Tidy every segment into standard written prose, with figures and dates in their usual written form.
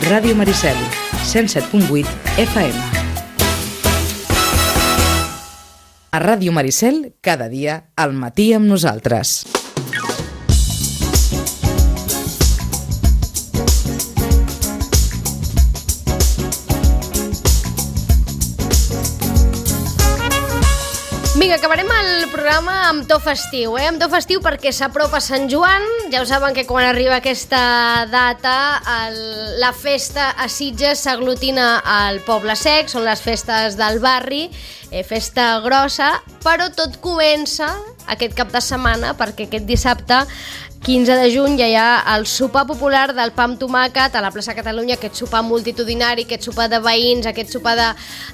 Ràdio Maricel, 107.8 FM. A Ràdio Maricel, cada dia, al matí amb nosaltres. Vinga, acabarem el programa amb to festiu, amb to festiu perquè s'apropa Sant Joan. Ja ho saben que quan arriba aquesta data la festa a Sitges s'aglutina al Poble Sec, són les festes del barri, festa grossa, però tot comença aquest cap de setmana perquè aquest dissabte 15 de juny ja hi ha el sopar popular del pa amb tomàquet a la plaça Catalunya, aquest sopar multitudinari, aquest sopar de veïns, aquest sopar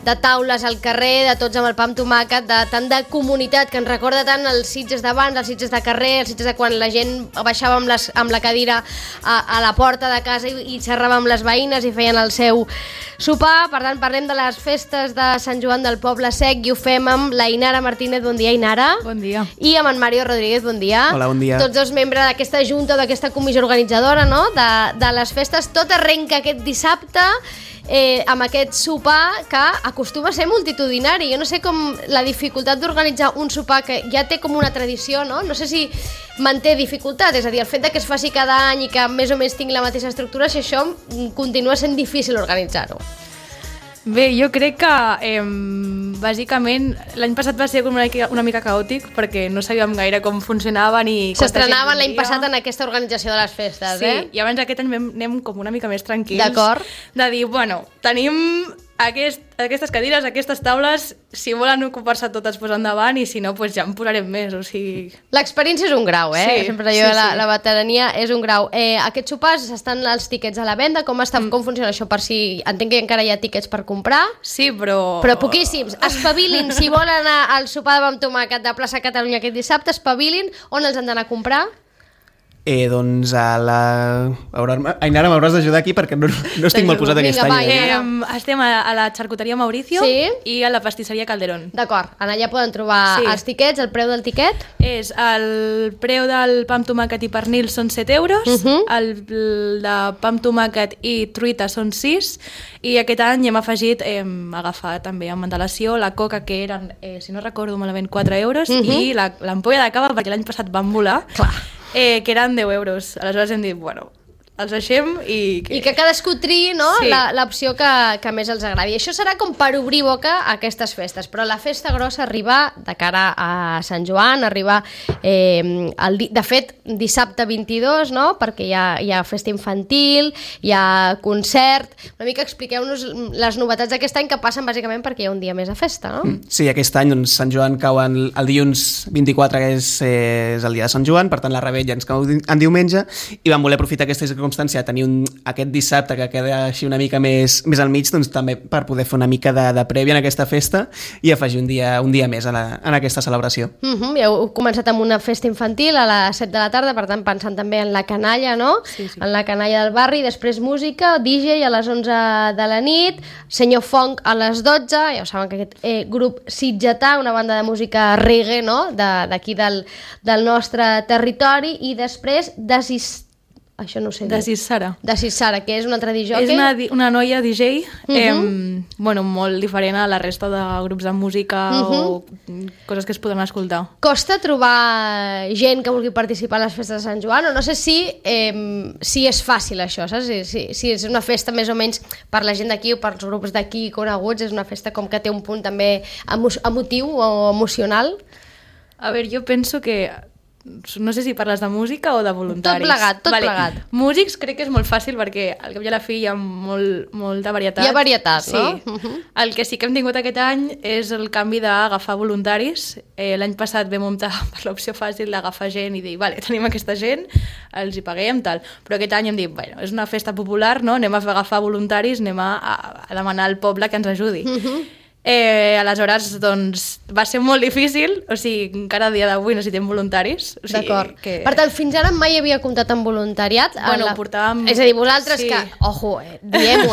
de taules al carrer, de tots amb el pa amb tomàquet, tant de comunitat que ens recorda tant els Sitges d'abans, els Sitges de carrer, els Sitges de quan la gent baixava amb la cadira a la porta de casa i xerrava amb les veïnes i feien el seu sopar. Per tant, parlem de les festes de Sant Joan del Poble Sec i ho fem amb la Inara Martínez. Bon dia, Inara. Bon dia. I amb en Mario Rodríguez. Bon dia. Hola, bon dia. Tots dos membres d'aquesta junta, d'aquesta comissió organitzadora, no? de les festes. Tot arrenca aquest dissabte amb aquest sopar que acostuma a ser multitudinari. Jo no sé com la dificultat d'organitzar un sopar que ja té com una tradició, no? No sé si manté dificultat, és a dir, el fet de que es faci cada any i que més o menys tingui la mateixa estructura, si això continua sent difícil organitzar-ho. Bé, jo crec que bàsicament l'any passat va ser una mica caòtic perquè no sabíem gaire com funcionava ni... S'estrenaven l'any passat en aquesta organització de les festes, sí, i abans aquest any anem com una mica més tranquils. D'acord. De dir, bueno, tenim aquestes cadires, aquestes taules, si volen ocupar-se totes pues endavant i si no, pues ja en posarem més, o sigui... L'experiència és un grau, Sí, sempre allò de la veterania és un grau. Aquests sopars estan els tiquets a la venda, com funciona això per si... Entenc que encara hi ha tiquets per comprar. Sí, però... Però poquíssims. Espavilin, si volen anar al sopar amb tomàquet de plaça Catalunya aquest dissabte, espavilin. On els han d'anar a comprar? Doncs Ainara, m'hauràs d'ajudar aquí perquè no estic molt posat aquest any. Estem a la xarcuteria Mauricio, sí, i a la pastisseria Calderón. D'acord, allà poden trobar els tiquets. El preu del tiquet? El preu del pa amb tomàquet i pernil són 7 euros, el de pa amb tomàquet i truita són 6, i aquest any hem afegit agafar també amb antelació la coca, que eren, si no recordo malament, 4 euros, i l'ampolla de cava, perquè l'any passat van volar. Clar. Que eren 10 euros. Aleshores hem dit, bueno, els deixem i que cadascú triï, no? Sí. L'opció que més els agradi. I això serà com per obrir boca a aquestes festes, però la festa grossa arriba de cara a Sant Joan, arriba de fet dissabte 22, no? Perquè hi ha festa infantil, hi ha concert. Una mica expliqueu-nos les novetats d'aquest any que passen bàsicament perquè hi ha un dia més de festa, no? Sí, aquest any doncs, Sant Joan cau el dilluns 24, que és el dia de Sant Joan, per tant la revetlla ens cau en diumenge, i vam voler aprofitar aquesta circumstància de tenir aquest dissabte que queda així una mica més al mig, doncs també per poder fer una mica de prèvia en aquesta festa i afegir un dia més en aquesta celebració. Ja heu començat amb una festa infantil a les 7 de la tarda, per tant pensant també en la canalla, no? Sí. En la canalla del barri, després música, DJ a les 11 de la nit, Senyor Fong a les 12, ja ho saben que aquest grup sitgetà, una banda de música reggae, no? D'aquí del nostre territori, i després això no ho sé dir. Desis Sara, que és un altre DJ. És una noia DJ, molt diferent a la resta de grups de música o coses que es poden escoltar. Costa trobar gent que vulgui participar a les festes de Sant Joan, o no sé si és fàcil això, saps? Si és una festa més o menys per la gent d'aquí o per els grups d'aquí coneguts, és una festa com que té un punt també emotiu o emocional. A veure, jo penso que no sé si parles de música o de voluntaris. Tot plegat. Músics crec que és molt fàcil perquè al cap i a la fi hi ha molta varietat. Hi ha varietat, sí, no? El que sí que hem tingut aquest any és el canvi d'agafar voluntaris. L'any passat vam optar per l'opció fàcil d'agafar gent i dir, vale, tenim aquesta gent, els hi paguem, tal. Però aquest any hem dit, bueno, és una festa popular, no? Anem a agafar voluntaris, anem a demanar al poble que ens ajudi. Aleshores, doncs, va ser molt difícil, o sigui, encara a dia d'avui necessitem voluntaris. O sigui, D'acord. Per tant, fins ara mai havia comptat amb voluntariat. Bueno, portàvem... És a dir, vosaltres que, ojo, diem-ho,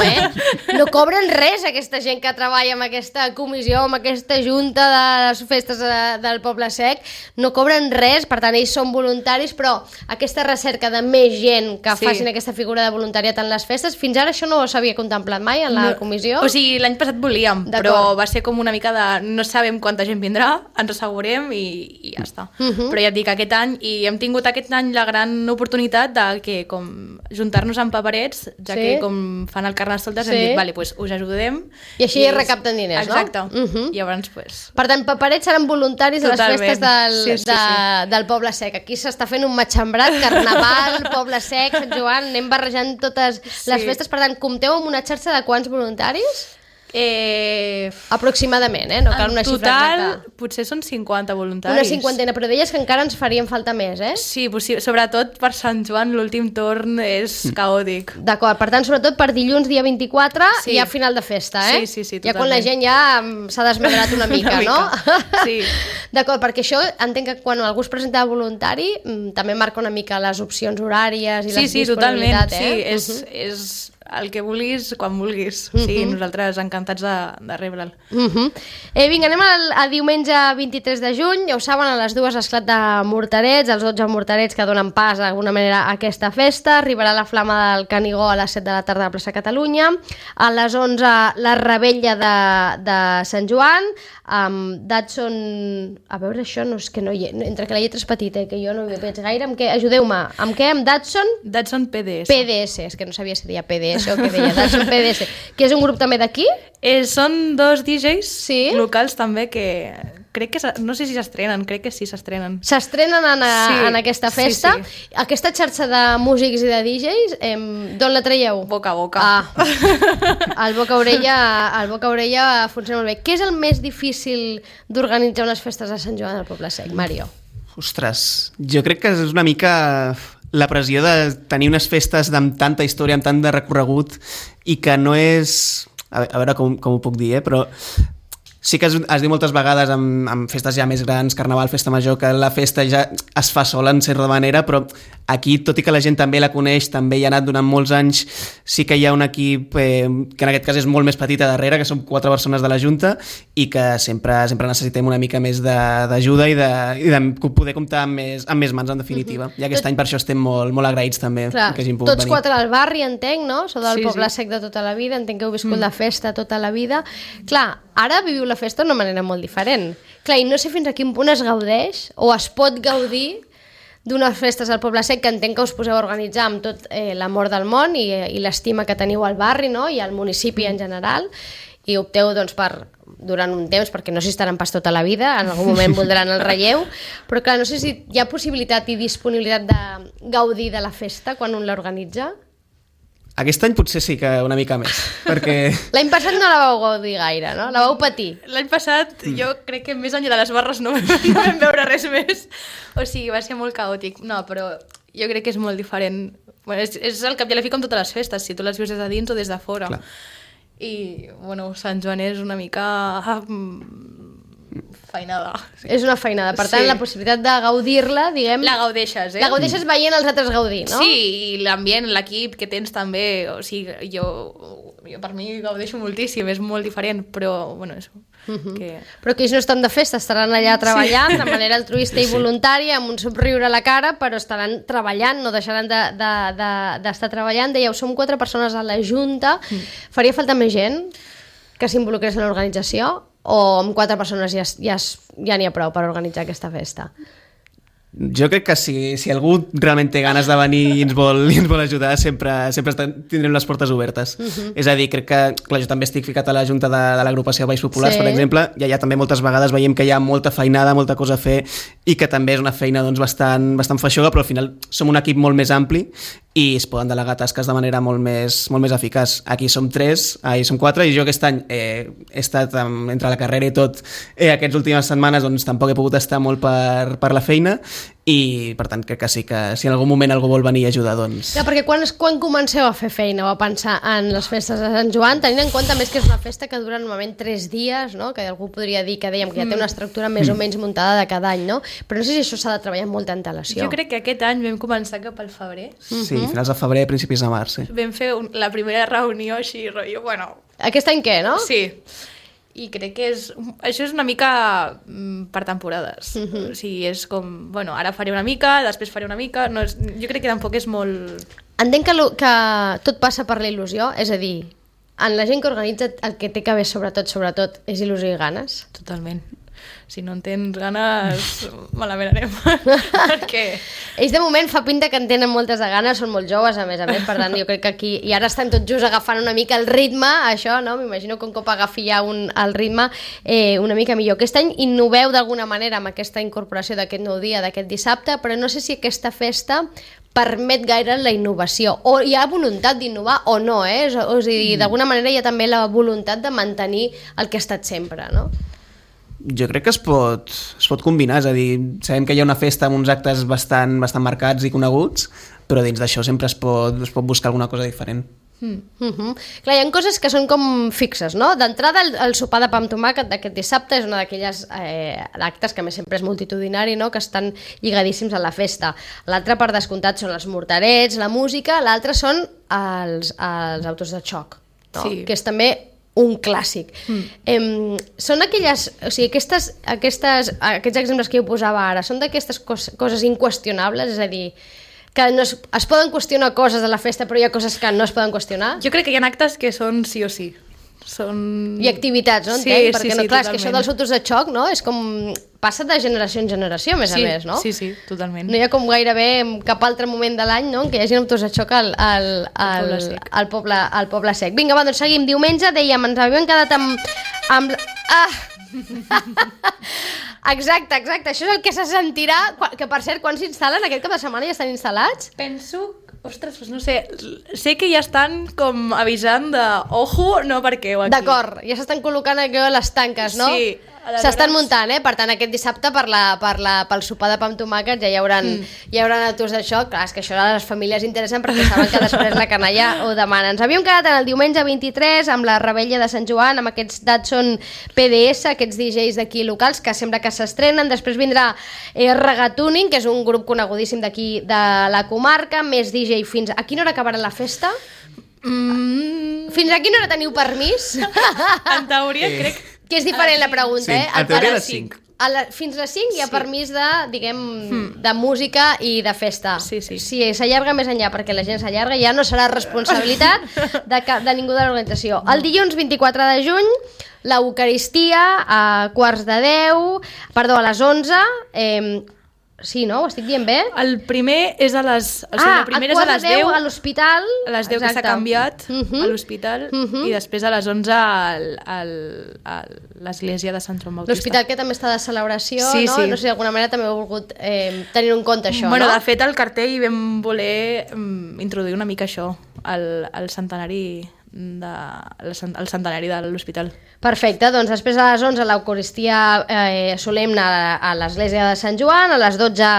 no cobren res aquesta gent que treballa amb aquesta comissió, amb aquesta junta de les festes del Poble Sec, no cobren res, per tant, ells són voluntaris, però aquesta recerca de més gent que facin aquesta figura de voluntariat en les festes, fins ara això no s'havia contemplat mai en la comissió? O sigui, l'any passat volíem, però va ser com una mica de no sabem quanta gent vindrà, ens assegurem i ja està. Però ja et dic, aquest any, i hem tingut aquest any la gran oportunitat de que com juntar-nos amb paperets, ja que com fan el Carnestoltes, hem dit, vale, pues us ajudem. I així recapten diners, no? Exacte. Llavors, pues... Per tant, paperets seran voluntaris a les festes del Poble Sec. Aquí s'està fent un matxembrat, Carnaval, Poble Sec, Sant Joan, anem barrejant totes les festes. Per tant, compteu amb una xarxa de quants voluntaris? Aproximadament, no cal una xifra exacta. En total, potser són 50 voluntaris. Una cinquantena, però deies que encara ens farien falta més, Sí, sobretot per Sant Joan l'últim torn és caòtic. D'acord, per tant, sobretot per dilluns, dia 24, i a final de festa, Sí, totalment. Ja quan la gent ja s'ha desmadrat una mica, no? Sí. D'acord, perquè això entenc que quan algú es presenta voluntari també marca una mica les opcions horàries i les disponibilitats, Sí, és el que vulguis, quan vulguis. Sí, nosaltres encantats de rebre'l. Vinga, anem a diumenge 23 de juny. Ja ho saben, a les 2 esclat de morterets, els 12 morterets que donen pas d'alguna manera a aquesta festa. Arribarà la flama del Canigó a les 7 de la tarda a la plaça Catalunya. A les 11 la rebella de Sant Joan, amb Datsun... A veure, això no és que no hi ha... Entre que la lletra és petita i que jo no hi veig gaire, amb què? Ajudeu-me. Amb què? Amb Datsun? Datsun PDS. PDS, és que no sabia si deia PDS o què deia. Datsun PDS. Que és un grup també d'aquí? Són 2 DJs locals també que... Crec que, no sé si s'estrenen, crec que sí s'estrenen. S'estrenen en aquesta festa. Sí. Aquesta xarxa de músics i de DJs, d'on la traieu? Boca a boca. El boca-orella funciona molt bé. Què és el més difícil d'organitzar unes festes a Sant Joan del Poble Sec, Mario? Ostres, jo crec que és una mica la pressió de tenir unes festes amb tanta història, amb tant de recorregut, i que no és... A veure com ho puc dir, però... Sí que es diu moltes vegades amb festes ja més grans, Carnaval, Festa Major, que la festa ja es fa sola en certa manera, però aquí, tot i que la gent també la coneix, també hi ha anat durant molts anys, sí que hi ha un equip que en aquest cas és molt més petit a darrere, que són 4 persones de la Junta, i que sempre necessitem una mica més d'ajuda i de poder comptar amb més mans, en definitiva. I aquest any per això estem molt agraïts també. Clar, que hagin pogut tots venir. 4 al barri, entenc, no? Sou del Poble Sec de tota la vida, entenc que heu viscut la festa tota la vida. Clar, ara viviu la festa d'una manera molt diferent. Clar, i no sé fins a quin punt es gaudeix o es pot gaudir d'unes festes al Poble Sec, que entenc que us poseu a organitzar amb tot l'amor del món i l'estima que teniu al barri, no? I al municipi en general, i opteu doncs, durant un temps, perquè no s'hi estaran pas tota la vida, en algun moment voldran el relleu, però clar, no sé si hi ha possibilitat i disponibilitat de gaudir de la festa quan un l'organitza. Aquest any potser sí que una mica més, perquè... L'any passat no la vau gaudir gaire, no? La vau patir. L'any passat jo crec que més enllà de les barres no vam veure res més. O sigui, va ser molt caòtic. No, però jo crec que és molt diferent. Bueno, és el cap i a la fi com totes les festes, si tu les vius des de dins o des de fora. Clar. I, bueno, Sant Joan és una mica... feinada. Sí. És una feinada. Per tant, la possibilitat de gaudir-la, diguem... La gaudeixes, La gaudeixes veient els altres gaudir, no? Sí, i l'ambient, l'equip que tens també, o sigui, jo per mi gaudeixo moltíssim, és molt diferent, però, bueno, això... Però que ells no estan de festa, estaran allà treballant de manera altruista i voluntària, amb un somriure a la cara, però estaran treballant, no deixaran d'estar treballant. Dèieu, som 4 persones a la Junta. Faria falta més gent que s'involucrés en l'organització? O amb 4 persones ja n'hi ha prou per organitzar aquesta festa? Jo crec que si algú realment té ganes de venir i ens vol ajudar, sempre tindrem les portes obertes. És a dir, crec que, clar, jo també estic ficat a la Junta de l'agrupació Baix Populars, per exemple, i allà també moltes vegades veiem que hi ha molta feinada, molta cosa a fer, i que també és una feina doncs, bastant feixuga, però al final som un equip molt més ampli i es poden delegar tasques de manera molt més eficaç. Aquí som 3, ahir som 4, i jo aquest any he estat entre la carrera i tot aquestes últimes setmanes, doncs tampoc he pogut estar molt per la feina, i per tant crec que sí que si en algun moment algú vol venir a ajudar, doncs... Ja, perquè quan comenceu a fer feina o a pensar en les festes de Sant Joan, tenint en compte més que és una festa que dura normalment 3 dies, no? Que algú podria dir que dèiem que ja té una estructura més o menys muntada de cada any, no? Però no sé si això s'ha de treballar amb molta antelació. Jo crec que aquest any vam començar cap al febrer. Sí, finals de febrer, principis de març, sí. Vam fer la primera reunió així, rotllo, bueno... Aquest any què, no? Sí. I crec que això és una mica per temporades. O sigui, és com, bueno, ara faré una mica, després faré una mica... No és, jo crec que tampoc és molt... Entenc que tot passa per la il·lusió, és a dir, en la gent que organitza el que té que haver sobretot, és il·lusió i ganes. Totalment. Si no en tens ganes, malament anem. Perquè... Ells de moment fa pinta que en tenen moltes de ganes, són molt joves a més, per tant jo crec que aquí, i ara estan tots just agafant una mica el ritme, això, no? M'imagino que un cop agafi ja el ritme una mica millor. Aquest any innoveu d'alguna manera amb aquesta incorporació d'aquest nou dia, d'aquest dissabte, però no sé si aquesta festa permet gaire la innovació, o hi ha voluntat d'innovar o no, o sigui, d'alguna manera hi ha també la voluntat de mantenir el que ha estat sempre, no? Jo crec que es pot combinar, és a dir, sabem que hi ha una festa amb uns actes bastant marcats i coneguts, però dins d'això sempre es pot buscar alguna cosa diferent. Clar, hi ha coses que són com fixes, no? D'entrada, el sopar de pa amb tomàquet d'aquest dissabte és una d'aquelles actes que a més sempre és multitudinari, no? Que estan lligadíssims a la festa. L'altre, per descomptat, són els morterets, la música, l'altre són els autos de xoc, no? Sí. Que és també un clàssic. Són aquelles... O sigui, aquests exemples que jo posava ara, són d'aquestes coses inqüestionables, és a dir, que no es poden qüestionar coses de la festa, però hi ha coses que no es poden qüestionar? Jo crec que hi ha actes que són sí o sí. I activitats, no? Sí, entenc? Perquè, sí, clar, és totalment. que això dels autos de xoc, no? És com... Passa de generació en generació, a més, no? Sí, totalment. No hi ha com gairebé cap altre moment de l'any, no?, en què hi hagi autos de xoc al Poble Sec. Vinga, va, doncs seguim. Diumenge, dèiem, ens havíem quedat amb... Exacte, això és el que se sentirà, que per cert, quan s'instal·len aquest cap de setmana ja estan instal·lats? Penso... Ostres, doncs no sé, sé que ja estan com avisant de ojo, no perquè ho aquí. D'acord, ja s'estan col·locant aquí les tanques, no? Sí. S'estan muntant, per tant aquest dissabte pel sopar de pa amb tomàquet ja hi hauran autors de xoc. Clar, és que això a les famílies interessen perquè saben que després la canalla ho demana. Ens havíem quedat en el diumenge 23 amb la Rebella de Sant Joan, amb aquests Datsun PDS, aquests DJs d'aquí locals que sembla que s'estrenen. Després vindrà Regatuning, que és un grup conegudíssim d'aquí de la comarca, més DJ fins... A quina hora acabarà la festa? Fins a quina hora teniu permís? En teoria crec... Que és diferent la pregunta, sí, en teoria a les 5. Fins a les 5 hi ha permís de, diguem, de música i de festa. Sí. Si s'allarga més enllà perquè la gent s'allarga, ja no serà responsabilitat de ningú de l'organització. El dilluns 24 de juny, l'Eucaristia a a les 11... Sí, no? Ho estic dient bé? El primer és a les... O sigui, la primera és a les 10 a l'hospital. A les 10 que s'ha canviat a l'hospital i després a les 11 a l'església de Sant Joan Bautista. L'hospital que també està de celebració, sí, no? Sí. No sé, d'alguna manera també heu volgut tenir en compte això, bueno, no? De fet, al cartell vam voler introduir una mica això, el centenari el centenari de l'hospital. Perfecte, doncs després a les 11 l'Eucaristia solemne a l'església de Sant Joan, a les 12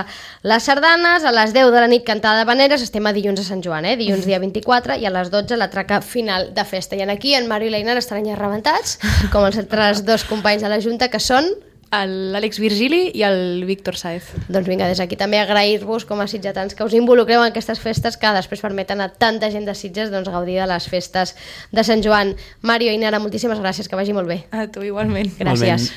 les sardanes, a les 10 de la nit cantada d'havaneres, estem a dilluns a Sant Joan, dilluns dia 24, i a les 12 la traca final de festa. I aquí en Mario i l'Einar estaran ja rebentats, com els altres dos companys de la Junta, que són... L'Àlex Virgili i el Víctor Saez. Doncs vinga, des d'aquí també agrair-vos com a sitgetans que us involucreu en aquestes festes que després permeten a tanta gent de Sitges gaudir de les festes de Sant Joan. Mario i Nara, moltíssimes gràcies, que vagi molt bé. A tu igualment. Gràcies.